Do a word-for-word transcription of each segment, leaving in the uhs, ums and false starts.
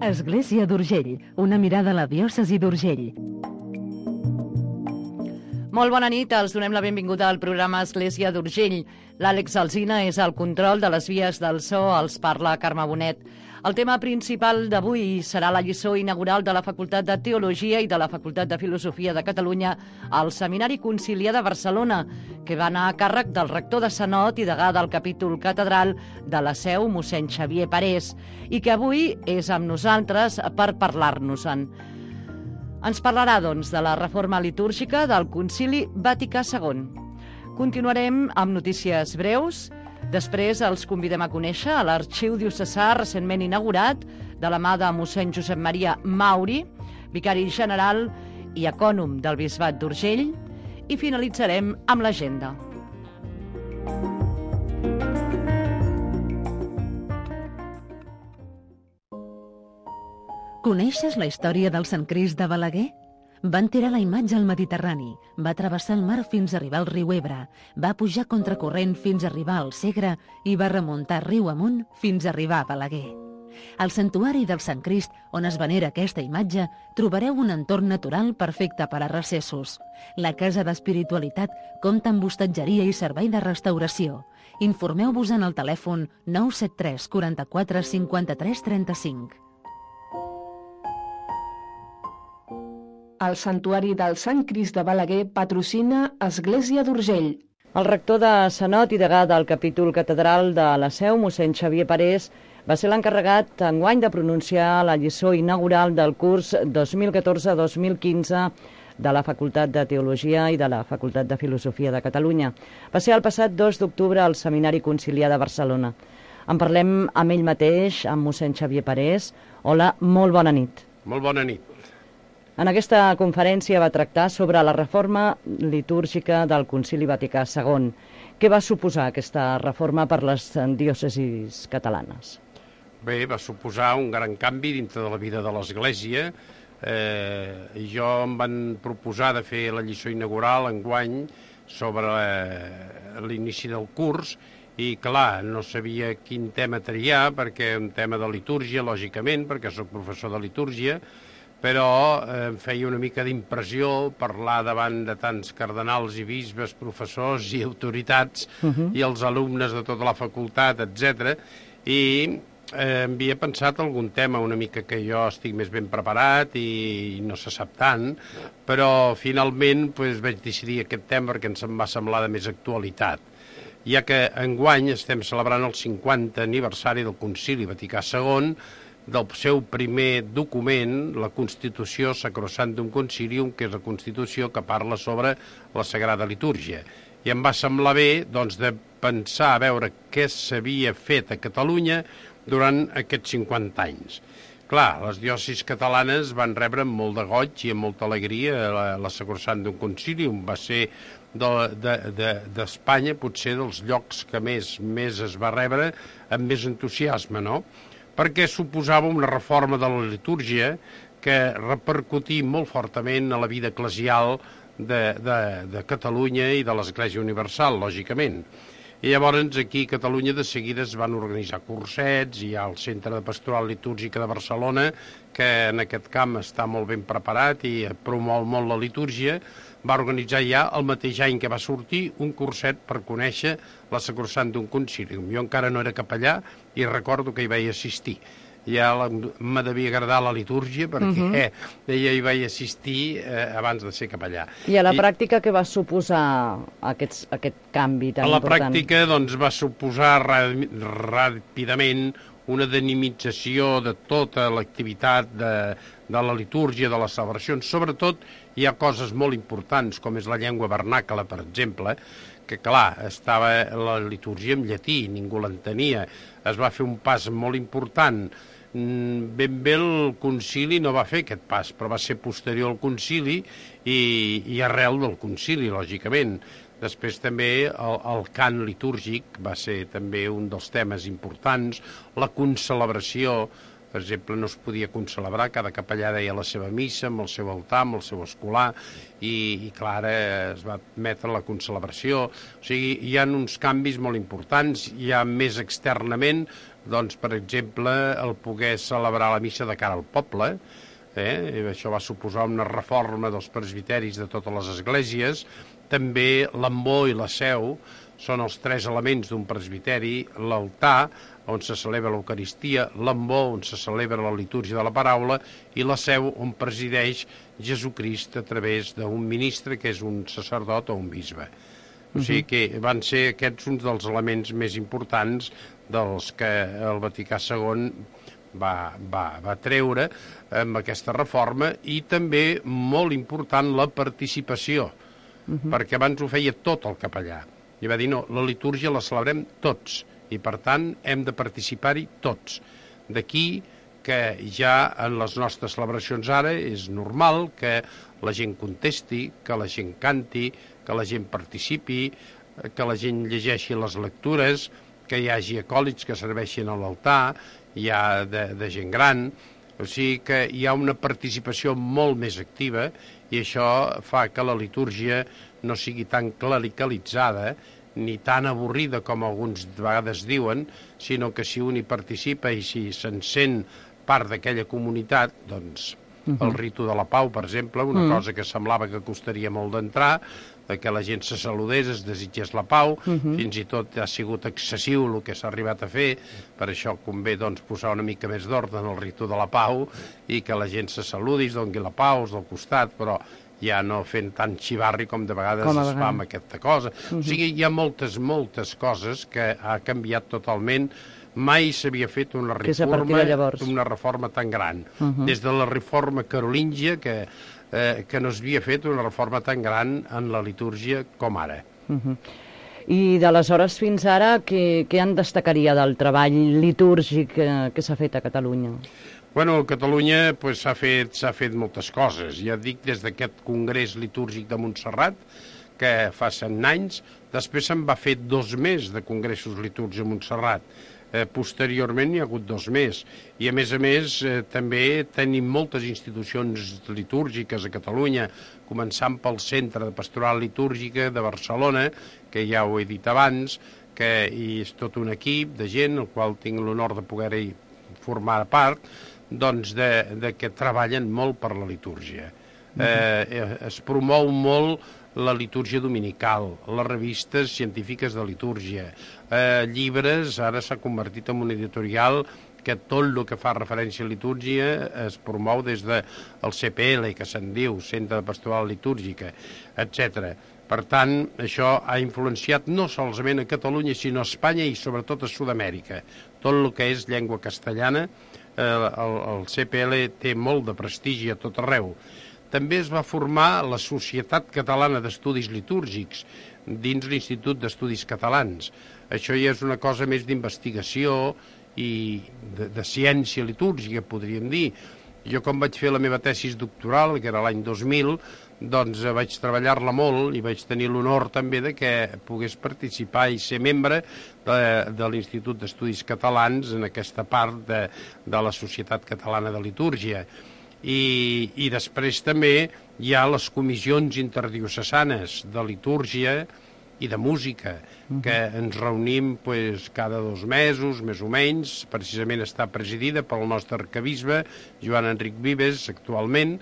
Església d'Urgell, una mirada a la diòcesi d'Urgell. Molt bona nit, els donem la benvinguda al programa Església d'Urgell. L'Àlex Alsina és al control de les vies del so, els parla Carme Bonet. El tema principal d'avui serà la lliçó inaugural de la Facultat de Teologia i de la Facultat de Filosofia de Catalunya al Seminari Conciliar de Barcelona, que va anar a càrrec del rector de Sanot i degà del capítol catedral de la Seu, mossèn Xavier Parés, i que avui és amb nosaltres per parlar-nos-en. Ens parlarà, doncs, de la reforma litúrgica del Concili Vaticà segon. Continuarem amb notícies breus. Després els convidem a conèixer a l'Arxiu Diocesà recentment inaugurat de la mà de mossèn Josep Maria Mauri, vicari general i ecònom del Bisbat d'Urgell, i finalitzarem amb l'agenda. Coneixes la història del Sant Crist de Balaguer? Van tirar la imatge al Mediterrani, va travessar el mar fins a arribar al riu Ebre, va pujar contracorrent fins a arribar al Segre i va remuntar riu amunt fins a arribar a Balaguer. Al santuari del Sant Crist, on es venera aquesta imatge, trobareu un entorn natural perfecte per a recessos. La Casa d'Espiritualitat compta amb hostatgeria i servei de restauració. Informeu-vos en el telèfon nou set tres quaranta-quatre cinquanta-tres trenta-cinc. El Santuari del Sant Crist de Balaguer patrocina Església d'Urgell. El rector de Sanot i degà del capítol catedral de la Seu, mossèn Xavier Parés, va ser l'encarregat enguany de pronunciar la lliçó inaugural del curs dos mil catorze dos mil quinze de la Facultat de Teologia i de la Facultat de Filosofia de Catalunya. Va ser el passat dos d'octubre al Seminari Conciliar de Barcelona. En parlem amb ell mateix, amb mossèn Xavier Parés. Hola, molt bona nit. Molt bona nit. En aquesta conferència va tractar sobre la reforma litúrgica del Concili Vaticà segon. Què va suposar aquesta reforma per les diòcesis catalanes? Bé, va suposar un gran canvi dintre de la vida de l'Església. Eh, jo em van proposar de fer la lliçó inaugural enguany sobre l'inici del curs i, clar, no sabia quin tema triar, perquè un tema de litúrgia, lògicament, perquè soc professor de litúrgia, però eh, em feia una mica d'impressió parlar davant de tants cardenals i bisbes, professors i autoritats uh-huh. i els alumnes de tota la facultat, etcètera. I eh, havia pensat algun tema una mica que jo estic més ben preparat i no se sap tant, però finalment pues, vaig decidir aquest tema perquè ens em va semblar de més actualitat, ja que enguany estem celebrant el cinquantè aniversari del Concili Vaticà segon, del seu primer document, la Constitució Sacrosanctum Concilium, que és la Constitució que parla sobre la Sagrada Litúrgia. I em va semblar bé doncs, de pensar a veure què s'havia fet a Catalunya durant aquests cinquanta anys. Clar, les diòcesis catalanes van rebre amb molt de goig i amb molta alegria la, la Sacrosanctum Concilium. Va ser d'Espanya de, de, de potser dels llocs que més, més es va rebre amb més entusiasme, no? Perquè suposava una reforma de la litúrgia que repercutia molt fortament a la vida eclesial de, de, de Catalunya i de l'Església Universal, lògicament. I llavors aquí a Catalunya de seguida es van organitzar cursets, hi ha el Centre de Pastoral Litúrgica de Barcelona, que en aquest camp està molt ben preparat i promou molt la litúrgia, va organitzar ja el mateix any que va sortir un curset per conèixer la Sacrosanctum Concilium. Jo encara no era capellà i recordo que hi vaig assistir. Ja me devia agradar la litúrgia perquè uh-huh. eh, ja hi vaig assistir eh, abans de ser capellà. I a la I, pràctica què va suposar aquests, aquest canvi tan important? A la important? pràctica doncs, va suposar ràpidament una dinamització de tota l'activitat de, de la litúrgia, de les celebracions. Sobretot hi ha coses molt importants, com és la llengua vernacla, per exemple, que clar, estava la litúrgia en llatí, ningú l'entenia. Es va fer un pas molt important. Ben bé el concili no va fer aquest pas, però va ser posterior al concili i, i arrel del concili, lògicament. Després també el, el cant litúrgic va ser també un dels temes importants, la concelebració Per exemple, no es podia concelebrar, cada capellà deia la seva missa, amb el seu altar, amb el seu escolà, i, i clar, es va admetre la concelebració. O sigui, hi ha uns canvis molt importants, hi ha més externament, doncs, per exemple, el poder celebrar la missa de cara al poble, eh? Això va suposar una reforma dels presbiteris de totes les esglésies, també l'ambó i la seu són els tres elements d'un presbiteri, l'altar, on se celebra l'Eucaristia, l'ambó, on se celebra la litúrgia de la paraula, i la seu, on presideix Jesucrist a través d'un ministre, que és un sacerdot o un bisbe. O sigui que van ser aquests uns dels elements més importants dels que el Vaticà segon va, va, va treure amb aquesta reforma, i també molt important la participació, uh-huh. perquè abans ho feia tot el capellà. I va dir, no, la litúrgia la celebrem tots, i per tant hem de participar-hi tots. D'aquí que ja en les nostres celebracions ara és normal que la gent contesti, que la gent canti, que la gent participi, que la gent llegeixi les lectures, que hi hagi acòlits que serveixin a l'altar, hi ha de, de gent gran, o sigui que hi ha una participació molt més activa, i això fa que la litúrgia no sigui tan clericalitzada ni tan avorrida com alguns de vegades diuen, sinó que si un hi participa i si se'n sent part d'aquella comunitat, doncs uh-huh. el ritu de la pau, per exemple, una uh-huh. cosa que semblava que costaria molt d'entrar, que la gent se saludés, es desitgés la pau, uh-huh. fins i tot ha sigut excessiu el que s'ha arribat a fer, per això convé doncs, posar una mica més d'ordre en el ritu de la pau i que la gent se saludi, es doni la pau, és del costat, però ja no fent tant xivarri com de vegades com es fa amb aquesta cosa. Uh-huh. O sigui, hi ha moltes, moltes coses que ha canviat totalment. Mai s'havia fet una reforma, una reforma tan gran. Uh-huh. Des de la reforma carolíngia, que, eh, que no s'havia fet una reforma tan gran en la litúrgia com ara. Uh-huh. I d'aleshores fins ara, què, què en destacaria del treball litúrgic que, que s'ha fet a Catalunya? Bueno, a Catalunya pues, s'ha fet, s'ha fet moltes coses. Ja dic, des d'aquest Congrés Litúrgic de Montserrat, que fa cent anys, després se'n va fer dos més de congressos litúrgics a Montserrat. Eh, posteriorment hi ha hagut dos més. I a més a més eh, també tenim moltes institucions litúrgiques a Catalunya, començant pel Centre de Pastoral Litúrgica de Barcelona, que ja ho he dit abans, que hi és tot un equip de gent, el qual tinc l'honor de poder-hi formar part, doncs de, de que treballen molt per la litúrgia. Uh-huh. Eh, es promou molt la litúrgia dominical, les revistes científiques de litúrgia, eh, llibres, ara s'ha convertit en un editorial que tot el que fa referència a litúrgia es promou des del C P L, que se'n diu, Centre de Pastoral Litúrgica, etcètera. Per tant, això ha influenciat no solament a Catalunya, sinó a Espanya i sobretot a Sud-amèrica. Tot el que és llengua castellana, eh, el, el C P L té molt de prestigi a tot arreu. També es va formar la Societat Catalana d'Estudis Litúrgics dins l'Institut d'Estudis Catalans. Això ja és una cosa més d'investigació i de, de ciència litúrgica, podríem dir. Jo, com vaig fer la meva tesis doctoral, que era l'any dos mil, doncs vaig treballar-la molt i vaig tenir l'honor també de que pogués participar i ser membre de, de l'Institut d'Estudis Catalans en aquesta part de, de la Societat Catalana de Litúrgia. I, i després també hi ha les comissions interdiocesanes de litúrgia i de música, que ens reunim pues, cada dos mesos, més o menys. Precisament està presidida pel nostre arquebisbe, Joan Enric Vives, actualment,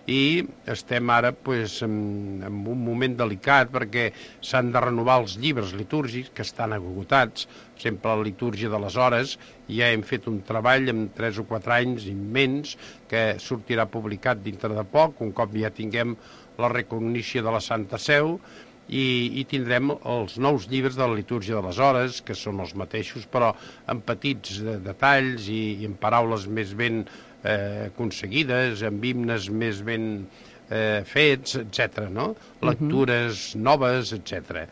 i estem ara pues, en, en un moment delicat perquè s'han de renovar els llibres litúrgics que estan agotats. Sempre la litúrgia de les hores, ja hem fet un treball en tres o quatre anys immens que sortirà publicat dintre de poc, un cop ja tinguem la recognició de la Santa Seu, i, i tindrem els nous llibres de la litúrgia de les hores, que són els mateixos, però amb petits de, detalls i, i amb paraules més ben eh, aconseguides, amb himnes més ben eh, fets, etcètera, no? Lectures uh-huh. noves, etcètera.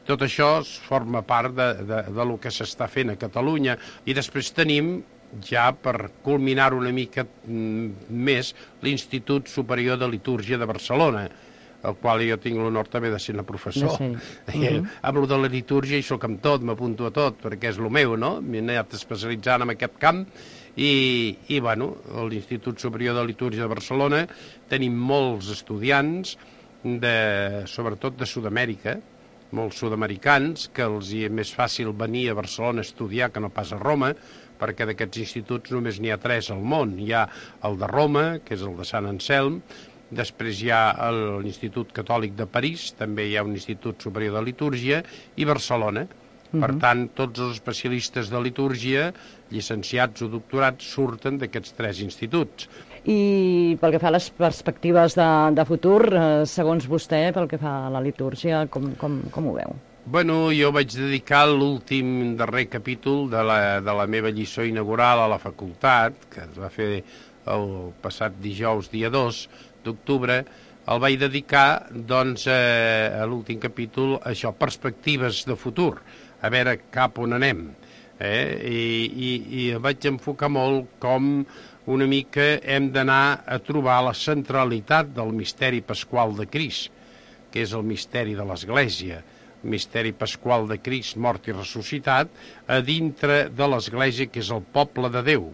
Tot això forma part de, de, de lo que s'està fent a Catalunya. I després tenim, ja per culminar una mica més, l'Institut Superior de Litúrgia de Barcelona, el qual jo tinc l'honor també de ser una professor. Sí. Uh-huh. Amb lo de la litúrgia hi soc amb tot, m'apunto a tot, perquè és lo meu, no? M'he anat especialitzant en aquest camp I, i bueno, a l'Institut Superior de Litúrgia de Barcelona tenim molts estudiants, de, sobretot de Sud-amèrica, molts sud-americans, que els hi és més fàcil venir a Barcelona a estudiar que no pas a Roma, perquè d'aquests instituts només n'hi ha tres al món. Hi ha el de Roma, que és el de Sant Anselm, després hi ha l'Institut Catòlic de París, també hi ha un Institut Superior de Litúrgia, i Barcelona. Uh-huh. Per tant, tots els especialistes de litúrgia, llicenciats o doctorats, surten d'aquests tres instituts. I pel que fa a les perspectives de, de futur, eh, segons vostè, pel que fa a la litúrgia, com, com, com ho veu? Bueno, jo vaig dedicar l'últim darrer capítol de la, de la meva lliçó inaugural a la facultat, que es va fer el passat dijous, dia dos d'octubre, el vaig dedicar, doncs, eh, a l'últim capítol, a això, perspectives de futur, a veure cap on anem. Eh? I, i, I vaig enfocar molt com una mica hem d'anar a trobar la centralitat del misteri pasqual de Crist, que és el misteri de l'Església, el misteri pasqual de Crist mort i ressuscitat, a dintre de l'Església, que és el poble de Déu,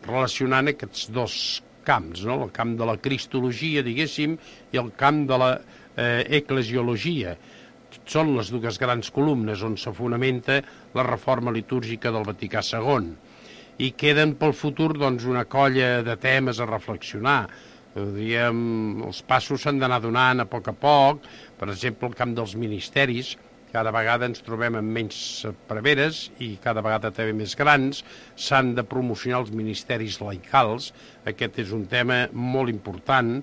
relacionant aquests dos camps, no? El camp de la cristologia, diguéssim, i el camp de la eh, eclesiologia. Són les dues grans columnes on se fonamenta la reforma litúrgica del Vaticà segon. I queden pel futur, doncs, una colla de temes a reflexionar. Diguem, els passos s'han d'anar donant a poc a poc. Per exemple, el camp dels ministeris, cada vegada ens trobem amb menys preveres i cada vegada també més grans. S'han de promocionar els ministeris laicals. Aquest és un tema molt important.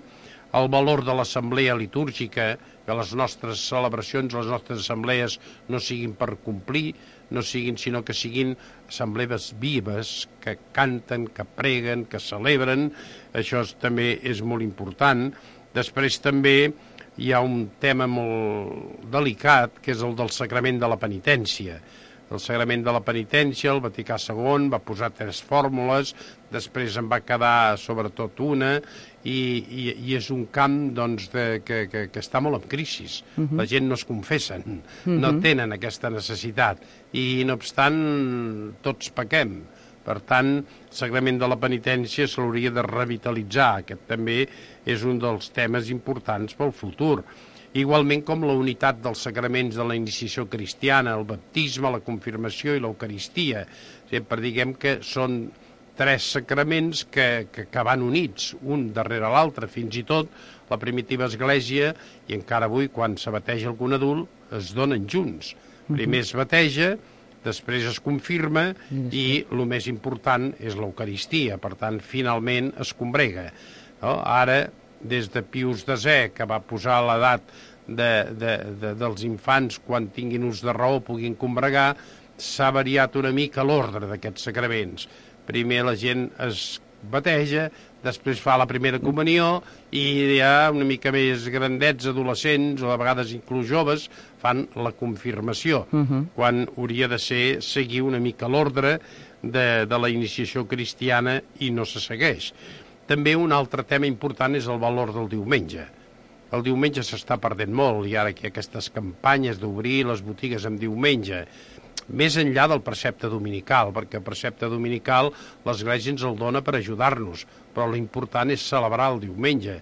El valor de l'assemblea litúrgica, que les nostres celebracions, les nostres assemblees no siguin per complir, no siguin, sinó que siguin assemblees vives, que canten, que preguen, que celebren. Això també és molt important. Després també hi ha un tema molt delicat, que és el del sacrament de la penitència. El sagrament de la penitència, el Vaticà segon va posar tres fórmules, després en va quedar sobretot una, i, i, i és un camp, doncs, de, que, que, que està molt en crisi. Uh-huh. La gent no es confessen, uh-huh. no tenen aquesta necessitat, i no obstant tots pequem. Per tant, el sagrament de la penitència se l'hauria de revitalitzar. Aquest també és un dels temes importants pel futur. Igualment com la unitat dels sacraments de la iniciació cristiana, el baptisme, la confirmació i l'eucaristia. Sempre diguem que són tres sacraments que, que, que van units, un darrere l'altre. Fins i tot la primitiva església, i encara avui quan se bateja algun adult, es donen junts. Primer es bateja, després es confirma i el més important és l'eucaristia. Per tant, finalment es combrega. No? Ara, des de Pius desè, que va posar l'edat de, de, de, dels infants quan tinguin ús de raó puguin combregar, s'ha variat una mica l'ordre d'aquests sacraments. Primer la gent es bateja, després fa la primera comunió i ja una mica més grandets, adolescents o a vegades inclús joves, fan la confirmació, uh-huh. quan hauria de ser seguir una mica l'ordre de, de la iniciació cristiana i no se segueix. També un altre tema important és el valor del diumenge. El diumenge s'està perdent molt i ara que hi ha aquestes campanyes d'obrir les botigues en diumenge, més enllà del precepte dominical, perquè el precepte dominical l'Església ens el dona per ajudar-nos, però l'important és celebrar el diumenge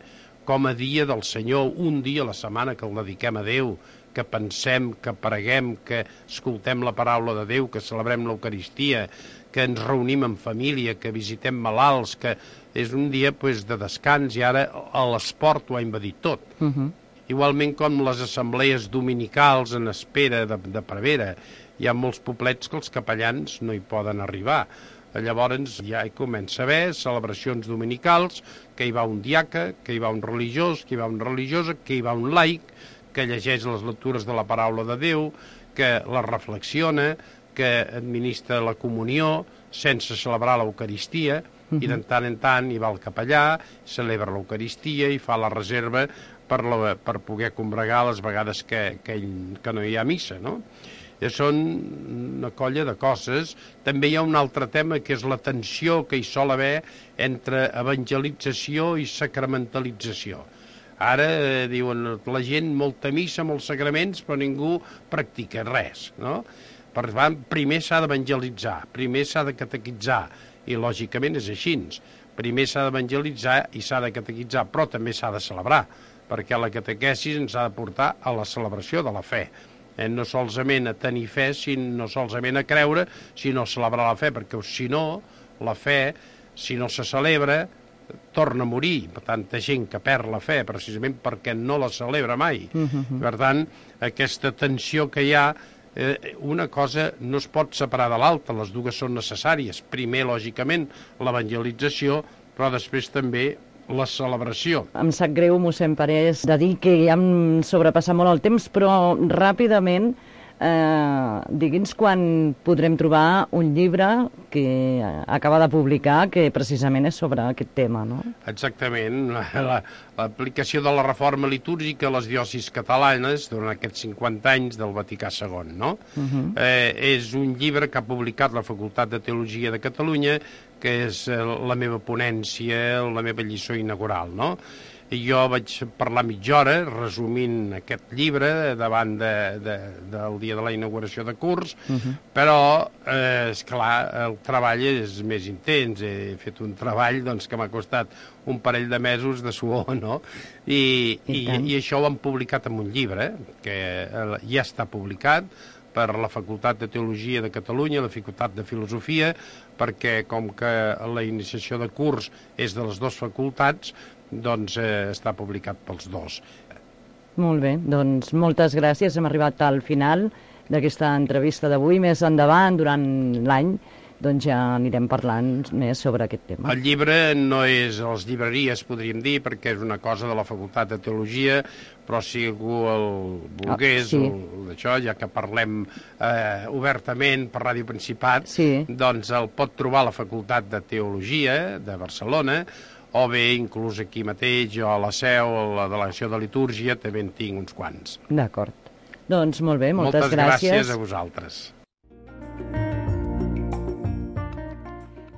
com a dia del Senyor, un dia a la setmana que el dediquem a Déu, que pensem, que preguem, que escoltem la paraula de Déu, que celebrem l'Eucaristia, que ens reunim en família, que visitem malalts, que és un dia pues, de descans, i ara l'esport ho ha invadit tot. Uh-huh. Igualment com les assemblees dominicals en espera de, de prevera. Hi ha molts poblets que els capellans no hi poden arribar. Llavors ja hi comença a haver celebracions dominicals, que hi va un diaca, que hi va un religiós, que hi va una religiosa, que hi va un laic, que llegeix les lectures de la paraula de Déu, que la reflexiona, que administra la comunió sense celebrar l'Eucaristia, uh-huh. i de tant en tant hi va el capellà, celebra l'Eucaristia i fa la reserva per, la, per poder combregar les vegades que, que, ell, que no hi ha missa, no? Són una colla de coses. També hi ha un altre tema, que és la tensió que hi sol haver entre evangelització i sacramentalització. Ara eh, diuen la gent molta missa, molts sacraments, però ningú practica res, no? Per tant, primer s'ha d'evangelitzar, primer s'ha de catequitzar, i lògicament és així. Primer s'ha d'evangelitzar i s'ha de catequitzar, però també s'ha de celebrar, perquè la catequesi ens ha de portar a la celebració de la fe. Eh, no solament a tenir fe, sinó no solament a creure, sinó a celebrar la fe, perquè si no, la fe, si no se celebra, torna a morir. Tanta gent que perd la fe precisament perquè no la celebra mai. Uh-huh. Per tant, aquesta tensió que hi ha, eh, una cosa no es pot separar de l'altra, les dues són necessàries. Primer, lògicament, l'evangelització, però després també la celebració. Em sap greu, mossèn Parés, de dir que ja em sobrepassa molt el temps, però ràpidament, eh, digui'ns quan podrem trobar un llibre que acaba de publicar que precisament és sobre aquest tema, no? Exactament. L'aplicació la, de la reforma litúrgica a les diòcesis catalanes durant aquests cinquanta anys del Vaticà segon, no? Uh-huh. eh, és un llibre que ha publicat la Facultat de Teologia de Catalunya, que és la meva ponència, la meva lliçó inaugural, no? I jo vaig parlar mitja hora resumint aquest llibre davant de, de, del dia de la inauguració de curs, uh-huh. però, eh, esclar, el treball és més intens. He fet un treball doncs, que m'ha costat un parell de mesos de suor, no? I, I, i, i això ho han publicat en un llibre, que ja està publicat, per la Facultat de Teologia de Catalunya, la Facultat de Filosofia, perquè com que la iniciació de curs és de les dues facultats, doncs eh, està publicat pels dos. Molt bé, doncs moltes gràcies. Hem arribat al final d'aquesta entrevista d'avui. Més endavant, durant l'any, doncs ja anirem parlant més sobre aquest tema. El llibre no és a les llibreries, podríem dir, perquè és una cosa de la Facultat de Teologia, però si algú el volgués, oh, sí. d'això, ja que parlem eh, obertament per Ràdio Principat, sí. doncs el pot trobar a la Facultat de Teologia de Barcelona, o bé inclús aquí mateix, o a la Seu, a la Delegació de Litúrgia, també en tinc uns quants. D'acord. Doncs molt bé, moltes, moltes gràcies. Moltes gràcies a vosaltres.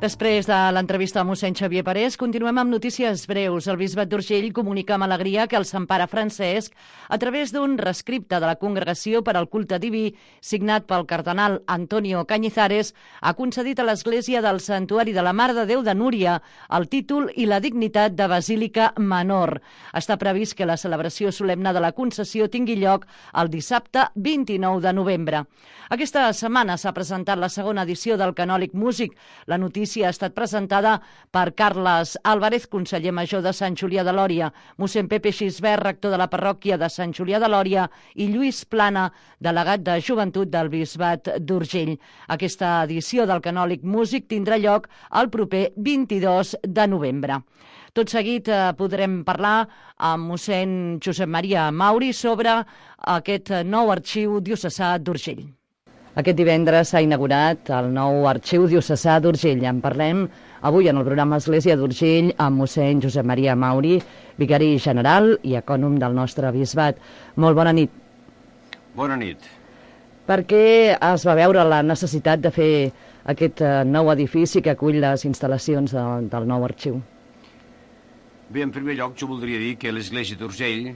Després de l'entrevista a mossèn Xavier Parés, continuem amb notícies breus. El bisbat d'Urgell comunica amb alegria que el Sant Pare Francesc, a través d'un rescripte de la Congregació per al Culte Diví, signat pel cardenal Antonio Cañizares, ha concedit a l'Església del Santuari de la Mare de Déu de Núria el títol i la dignitat de Basílica Menor. Està previst que la celebració solemne de la concessió tingui lloc el dissabte vint-i-nou de novembre. Aquesta setmana s'ha presentat la segona edició del Canòlic Músic. La notícia ha estat presentada per Carles Álvarez, conseller major de Sant Julià de Lòria, mossèn Pepe Xisbert, rector de la parròquia de Sant Julià de Lòria, i Lluís Plana, delegat de Joventut del Bisbat d'Urgell. Aquesta edició del Canòlic Músic tindrà lloc el proper vint-i-dos de novembre. Tot seguit eh, podrem parlar amb mossèn Josep Maria Mauri sobre aquest nou arxiu diocesà d'Urgell. Aquest divendres s'ha inaugurat el nou arxiu diocesà d'Urgell. En parlem avui en el programa Església d'Urgell amb mossèn Josep Maria Mauri, vicari general i ecònom del nostre bisbat. Molt bona nit. Bona nit. Per què es va veure la necessitat de fer aquest nou edifici que acull les instal·lacions de, del nou arxiu? Bé, en primer lloc, jo voldria dir que l'Església d'Urgell,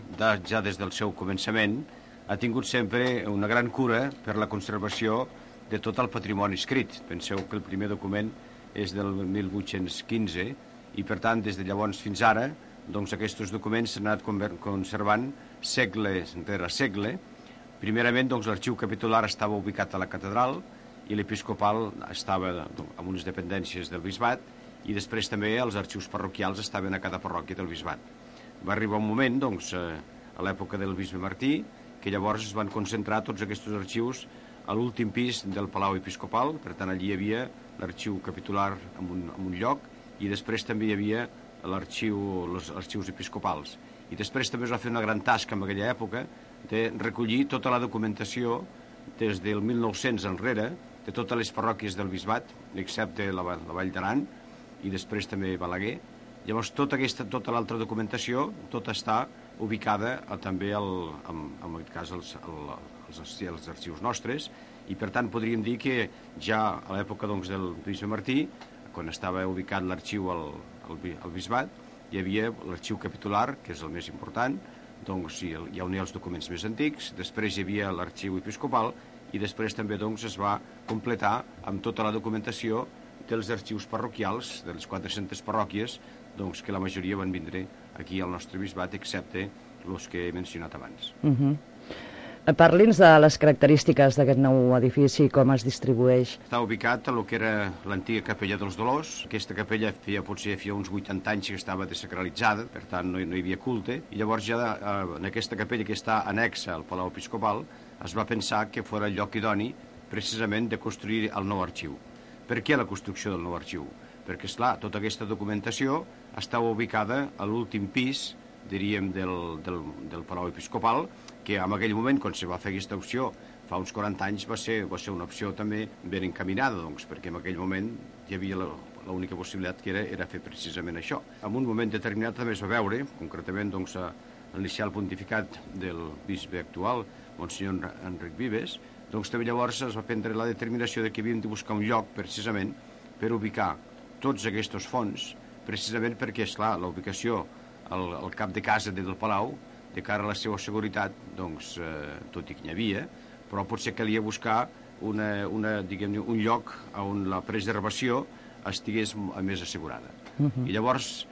ja des del seu començament, ha tingut sempre una gran cura per la conservació de tot el patrimoni escrit. Penseu que el primer document és del mil vuit-cents quinze i, per tant, des de llavors fins ara, doncs aquests documents s'han anat conservant segle rere segle. Primerament, doncs, l'arxiu capitular estava ubicat a la catedral i l'episcopal estava en unes dependències del bisbat i després també els arxius parroquials estaven a cada parròquia del bisbat. Va arribar un moment, doncs, a l'època del bisbe Martí, que llavors es van concentrar tots aquests arxius a l'últim pis del Palau Episcopal. Per tant, allí hi havia l'arxiu capitular en un, en un lloc i després també hi havia l'arxiu, els arxius episcopals. I després també es va fer una gran tasca en aquella època de recollir tota la documentació des del mil nou-cents enrere de totes les parròquies del bisbat, excepte la, la Vall d'Aran i després també Balaguer. Llavors, tota aquesta, tota l'altra documentació, tota està ubicada a, també, el, en, en aquest cas, els, el, els, els arxius nostres, i per tant podríem dir que ja a l'època doncs, del bisbe Martí, quan estava ubicat l'arxiu al, al, al bisbat, hi havia l'arxiu capitular, que és el més important, doncs hi, hi ha els documents més antics, després hi havia l'arxiu episcopal, i després també doncs, es va completar amb tota la documentació dels arxius parroquials, de les quatre-centes parròquies, doncs que la majoria van vindre aquí al nostre bisbat, excepte els que he mencionat abans. Uh -huh. Parli'ns de les característiques d'aquest nou edifici, com es distribueix. Està ubicat a lo que era l'antiga capella dels Dolors. Aquesta capella feia, potser feia uns vuitanta anys que estava desacralitzada, per tant no, no hi havia culte, i llavors ja en aquesta capella que està anexa al Palau Episcopal es va pensar que fos el lloc idoni precisament de construir el nou arxiu. Per què la construcció del nou arxiu? Perquè, esclar, tota aquesta documentació estava ubicada a l'últim pis, diríem, del, del, del Palau Episcopal, que en aquell moment, quan se va fer aquesta opció, fa uns quaranta anys, va ser, va ser una opció també ben encaminada, doncs, perquè en aquell moment hi havia l'única possibilitat que era, era fer precisament això. En un moment determinat també es va veure, concretament doncs, a l'inicial pontificat del bisbe actual, Monsenyor Enric Vives, doncs també llavors es va prendre la determinació de que havíem de buscar un lloc precisament per ubicar tots aquests fons, precisament perquè, esclar, la ubicació al, al cap de casa del Palau, de cara a la seva seguretat, doncs, eh, tot i que n'hi havia, però potser calia buscar una, una, diguem-ne, un lloc on la preservació estigués més assegurada. Uh-huh. I llavors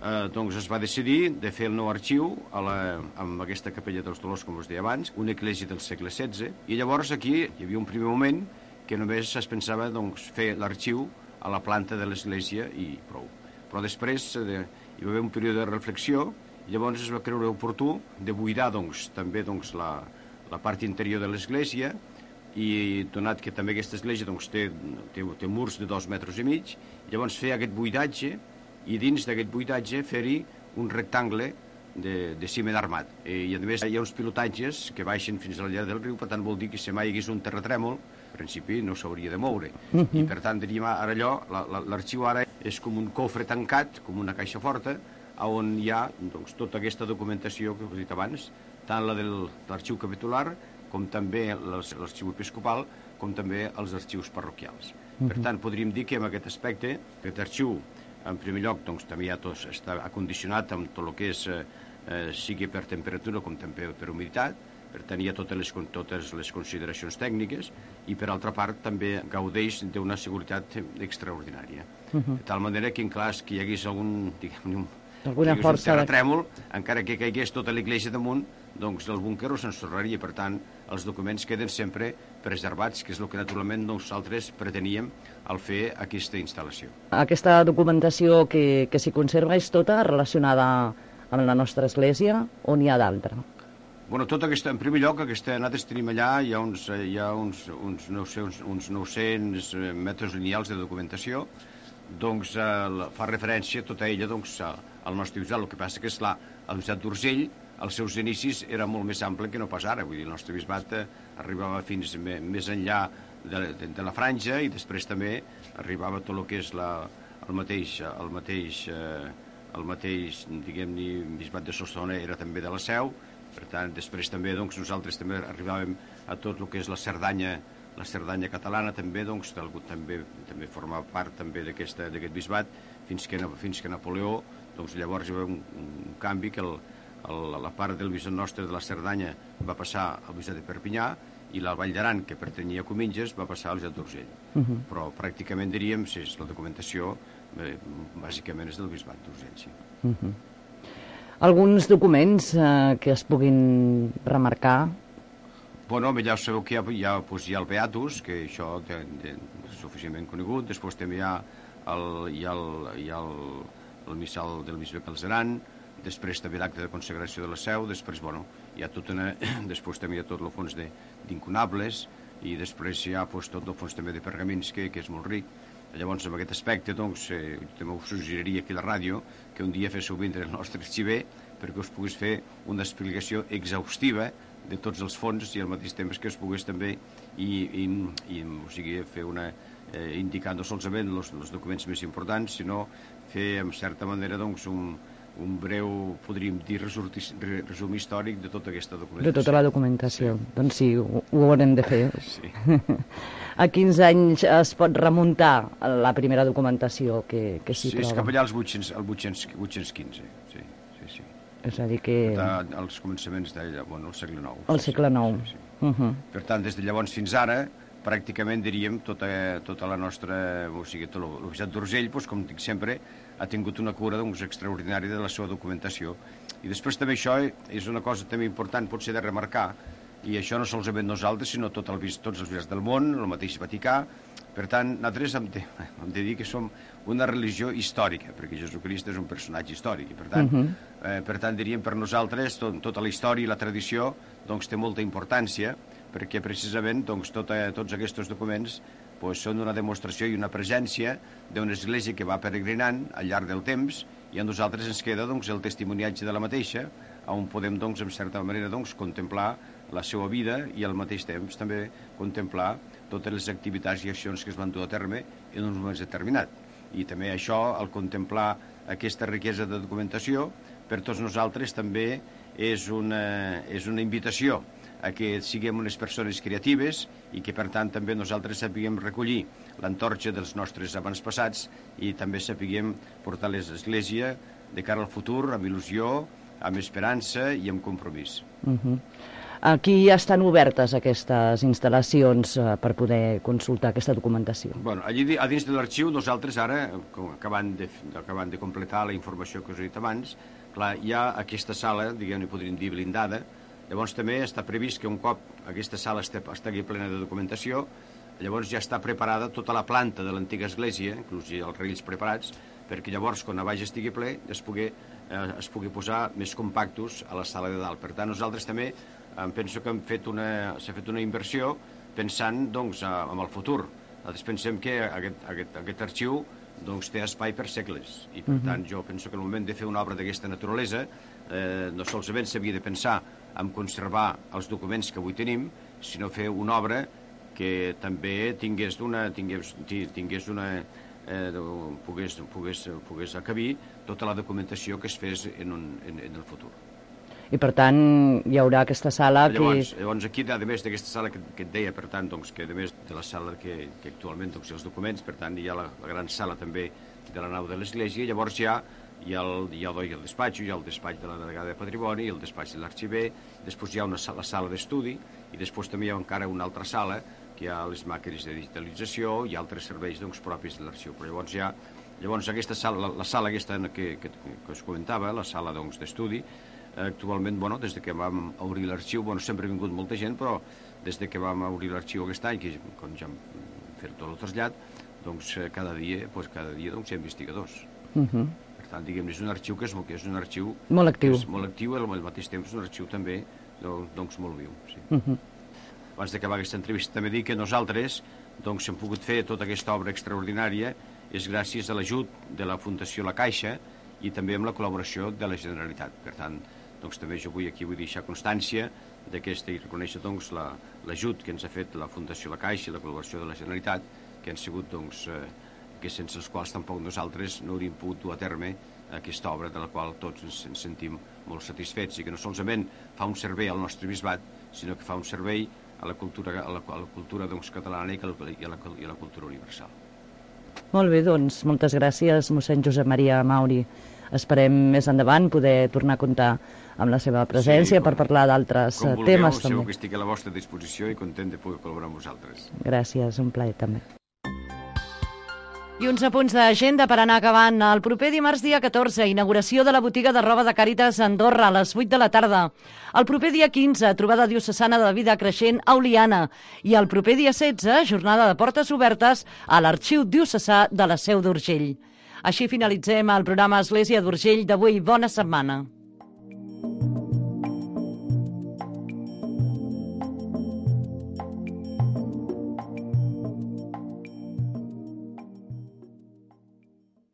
eh, doncs es va decidir de fer el nou arxiu a la, amb aquesta capella dels Dolors, com us deia abans, una església del segle setze, i llavors aquí hi havia un primer moment que només es pensava doncs, fer l'arxiu a la planta de l'església i prou. Però després eh, hi va haver un període de reflexió. Llavors es va creure oportú de buidar doncs, també doncs, la, la part interior de l'església, i donat que també aquesta església doncs, té, té, té murs de dos metres i mig, llavors fer aquest buidatge i dins d'aquest buidatge fer-hi un rectangle de, de ciment armat. I, I a més hi ha uns pilotatges que baixen fins a la llar del riu, per tant vol dir que si mai hi hagués un terratrèmol, en principi no s'hauria de moure. Uh-huh. I per tant diríem ara allò, l'arxiu ara és com un cofre tancat, com una caixa forta, on hi ha doncs, tota aquesta documentació que us he dit abans, tant la de l'arxiu capitular, com també l'arxiu episcopal, com també els arxius parroquials. Uh-huh. Per tant, podríem dir que en aquest aspecte, aquest arxiu, en primer lloc, doncs, també ja tot està acondicionat amb tot el que és, eh, sigui per temperatura com també per humiditat, per tant hi ha totes les, totes les consideracions tècniques, i per altra part també gaudeix d'una seguretat extraordinària. Uh-huh. De tal manera que en cas que hi hagués algun, diguem-ne, alguna força un terratrèmol, de... encara que caigués tota l'església damunt, doncs el búnquer ho s'ensorraria. Per tant, els documents queden sempre preservats, que és el que naturalment nosaltres preteníem al fer aquesta instal·lació. Aquesta documentació que, que s'hi conserva és tota relacionada amb la nostra església o n'hi ha d'altra? Bueno, tota aquesta, en primer lloc, aquesta, nosaltres tenim allà, hi ha uns, hi ha uns, uns, no sé, uns, uns nou-cents metres lineals de documentació, doncs eh, fa referència tota ella doncs, al nostre bisbat. El que passa que, esclar, el bisbat d'Urgell, als seus inicis, era molt més ample que no pas ara. Vull dir, el nostre bisbat eh, arribava fins me, més enllà de, de, de la franja, i després també arribava tot el que és la, el mateix, el mateix, eh, el mateix diguem-ne, bisbat de Solsona era també de la Seu. Per tant, després també doncs, nosaltres també arribàvem a tot el que és la Cerdanya, la Cerdanya catalana també, doncs, també, també formava part també d'aquest bisbat, fins que, fins que Napoleó, doncs llavors hi va haver un, un canvi que el, el, la part del bisbat nostre de la Cerdanya va passar al bisbat de Perpinyà, i la Vall d'Aran, que pertanyia a Cominges, va passar al bisbat d'Urgell. Uh-huh. Però pràcticament diríem, si és la documentació, eh, bàsicament és del bisbat d'Urgell, sí. Uh-huh. Alguns documents eh, que es puguin remarcar? Bueno, ja sabeu que hi ha, hi ha, doncs, hi ha el Beatus, que això de, de, és suficientment conegut. Després també hi ha el, hi ha el, hi ha el, el missal del bisbe Calzeran, després també l'acte de consagració de la Seu, després, bueno, hi ha tot una, després també hi ha tot el fons d'incunables, i després hi ha doncs, tot el fons també de pergamins, que, que és molt ric. Llavors, en aquest aspecte, doncs, eh, també us suggeriria aquí a la ràdio que un dia féssiu vindre el nostre arxiver perquè us pogués fer una explicació exhaustiva de tots els fons, i al mateix temps que es pogués també i, i, i o sigui, fer una, eh, indicar no solament els, els documents més importants, sinó fer, en certa manera, doncs, un, un breu, podríem dir, resum històric de tota aquesta documentació. De tota la documentació. Sí. Doncs sí, ho, ho haurem de fer. Sí. A quins anys es pot remuntar la primera documentació que, que s'hi sí, troba? És cap allà als vuit-cents quinze, sí, sí, sí. És a dir que... Als començaments del bueno, segle nou. El segle nou. Sí, sí. Uh-huh. Per tant, des de llavors fins ara, pràcticament, diríem, tota, tota la nostra... O sigui, tot l'Oficiat d'Urgell, doncs, com dic sempre, ha tingut una cura doncs, extraordinària de la seva documentació. I després també això és una cosa també important, potser de remarcar, i això no solament nosaltres, sinó tot el, tots els bisbats del món, el mateix Vaticà. Per tant, nosaltres hem de, hem de dir que som una religió històrica, perquè Jesucrist és un personatge històric, i per tant, uh -huh. eh, per tant diríem, per nosaltres, tot, tota la història i la tradició doncs, té molta importància, perquè precisament doncs, tota, tots aquests documents doncs, són una demostració i una presència d'una església que va peregrinant al llarg del temps, i a nosaltres ens queda doncs, el testimoniatge de la mateixa, on podem, doncs, en certa manera, doncs, contemplar la seva vida i al mateix temps també contemplar totes les activitats i accions que es van dur a terme en un moment determinat. I també això, al contemplar aquesta riquesa de documentació, per tots nosaltres també és una, és una invitació a que siguem unes persones creatives i que, per tant, també nosaltres sapiguem recollir l'antorxa dels nostres avantpassats i també sapiguem portar l'Església de cara al futur amb il·lusió, amb esperança i amb compromís. Uh-huh. Aquí estan obertes aquestes instal·lacions eh, per poder consultar aquesta documentació? Bueno, allí a dins de l'arxiu nosaltres ara, acabant de, acabant de completar la informació que us he dit abans, clar, hi ha aquesta sala, diguem-ne, podríem dir blindada. Llavors també està previst que un cop aquesta sala estigui plena de documentació, llavors ja està preparada tota la planta de l'antiga església, inclús els raïls preparats, perquè llavors, quan a baix estigui ple, es pugui, eh, es pugui posar més compactos a la sala de dalt. Per tant, nosaltres també em penso que hem fet una, s'ha fet una inversió pensant doncs, en el futur. Nosaltres pensem que aquest, aquest, aquest arxiu doncs, té espai per segles i per uh -huh. tant jo penso que en el moment de fer una obra d'aquesta naturalesa eh, no solament s'havia de pensar en conservar els documents que avui tenim, sinó fer una obra que també tingués una, tingués, tingués una eh, pogués, pogués, pogués acabir tota la documentació que es fes en, un, en, en el futur. I per tant hi haurà aquesta sala llavors, que... Llavors aquí, a més d'aquesta sala que, que et deia, per tant, doncs, que a més de la sala que, que actualment doncs, els documents, per tant hi ha la, la gran sala també de la nau de l'església, llavors hi ha, hi ha, el, hi ha el despatx, hi ha el despatx de la delegada de Patrimoni, el despatx de l'arxiver, després hi ha una sala, la sala d'estudi, i després també hi ha encara una altra sala, que hi ha les màquines de digitalització i altres serveis doncs, propis de l'arxiu. Però llavors hi ha, llavors aquesta sala, la, la sala aquesta que, que, que us comentava, la sala doncs, d'estudi, actualment, bueno, des de que vam obrir l'arxiu, bueno, sempre ha vingut molta gent, però des de que vam obrir l'arxiu aquest any, que quan ja hem fet tot el trasllat, doncs cada dia, doncs, cada dia doncs, hi ha investigadors. Uh -huh. Per tant, diguem, és un arxiu que és, que és un arxiu molt actiu, és molt actiu i al mateix temps és un arxiu també doncs, molt viu. Sí. Uh -huh. Abans d'acabar aquesta entrevista també dic que nosaltres doncs, hem pogut fer tota aquesta obra extraordinària és gràcies a l'ajut de la Fundació La Caixa i també amb la col·laboració de la Generalitat. Per tant, doncs també jo vull aquí vull deixar constància d'aquesta i reconèixer doncs l'ajut que ens ha fet la Fundació La Caixa i la col·laboració de la Generalitat, que han sigut doncs eh, que sense els quals tampoc nosaltres no hauríem pogut dur a terme aquesta obra de la qual tots ens, ens sentim molt satisfets i que no solament fa un servei al nostre bisbat, sinó que fa un servei a la cultura, a la, a la cultura doncs, catalana i a la, i a la cultura universal. Molt bé, doncs, moltes gràcies, mossèn Josep Maria Mauri. Esperem més endavant poder tornar a comptar amb la seva presència sí, com, per parlar d'altres temes. Com vulgueu, també. Segur que estic a la vostra disposició i content de poder col·laborar amb vosaltres. Gràcies, un plaer també. I uns apunts d'agenda per anar acabant. El proper dimarts dia catorze, inauguració de la botiga de roba de Càritas a Andorra a les vuit de la tarda. El proper dia quinze, trobada diocesana de la vida creixent a Oliana. I el proper dia setze, jornada de portes obertes a l'Arxiu Diocesà de la Seu d'Urgell. Així finalitzem el programa Església d'Urgell d'avui. Bona setmana.